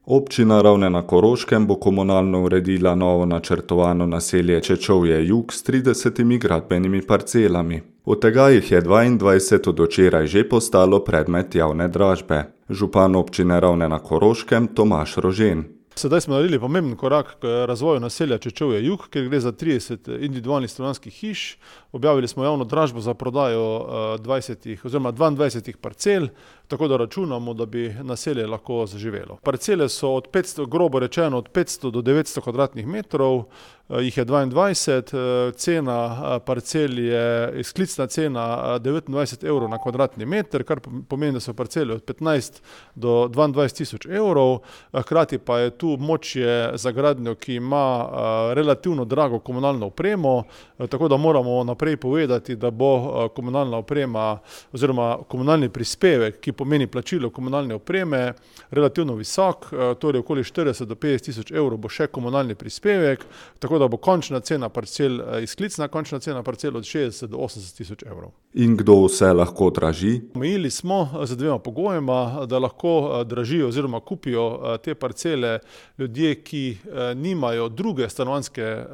Občina Ravne na Koroškem bo komunalno uredila novo načrtovano naselje Čečovje Jug s 30 gradbenimi parcelami. Od tega jih je 22 od včeraj že postalo predmet javne dražbe. Župan občine Ravne na Koroškem Tomaž Rožen. Sedaj smo naredili pomemben korak k razvoju naselja Čečovje Jug, kjer gre za 30 individualnih stanovanjskih hiš. Objavili smo javno dražbo za prodajo 22 parcel, tako da računamo, da bi naselje lahko zaživelo. Parcele so od 500, grobo rečeno, od 500 do 900 kvadratnih metrov, jih je 22, cena parcel je, izklicna cena 29 evrov na kvadratni meter, kar pomeni, da so parcele od 15 do 22 tisoč evrov, hkrati pa je tu območje za gradnjo, ki ima relativno drago komunalno opremo, tako da moramo naprej povedati, da bo komunalna oprema oziroma komunalni prispevek, ki pomeni plačilo komunalne opreme, relativno visok, torej okoli 40 do 50 tisoč evrov bo še komunalni prispevek, tako da bo končna cena parcel, izklicna končna cena parcel od 60 do 80 tisoč evrov. In kdo vse lahko draži? Omejili smo z dvema pogojema, da lahko dražijo oziroma kupijo te parcele ljudje, ki nimajo druge stanovanjske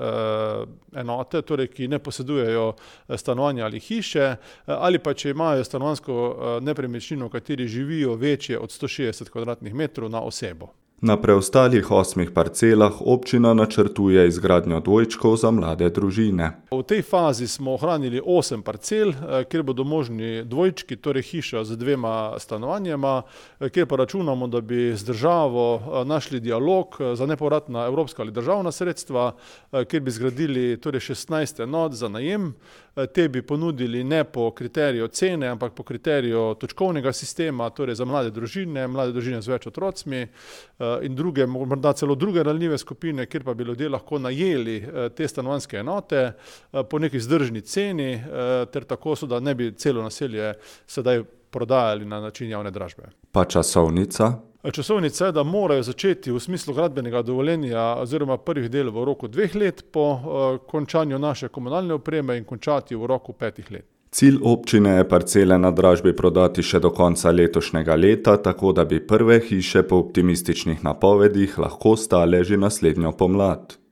enote, torej ki ne posedujejo stanovanja ali hiše, ali pa če imajo stanovanjsko nepremičnino, v kateri živijo večje od 160 kvadratnih metrov na osebo. Na preostalih 8 parcelah občina načrtuje izgradnjo dvojčkov za mlade družine. V tej fazi smo ohranili 8 parcel, kjer bodo možni dvojčki, torej hiša z 2 stanovanjema, kjer pa računamo, da bi z državo našli dialog za nepovratna evropska ali državna sredstva, kjer bi zgradili torej 16 enot za najem. Te bi ponudili ne po kriteriju cene, ampak po kriteriju točkovnega sistema, torej za mlade družine z več otrocmi in druge, morda celo druge ranljive skupine, kjer pa bi ljudje lahko najeli te stanovanjske enote po neki vzdržni ceni, ter tako so, da ne bi celo naselje sedaj prodajali na način javne dražbe. Pa časovnica? Časovnica je, da morajo začeti v smislu gradbenega dovoljenja oziroma prvih del v roku 2 let po končanju naše komunalne opreme in končati v roku 5 let. Cilj občine je parcele na dražbi prodati še do konca letošnjega leta, tako da bi prve hiše po optimističnih napovedih lahko stale že naslednjo pomlad.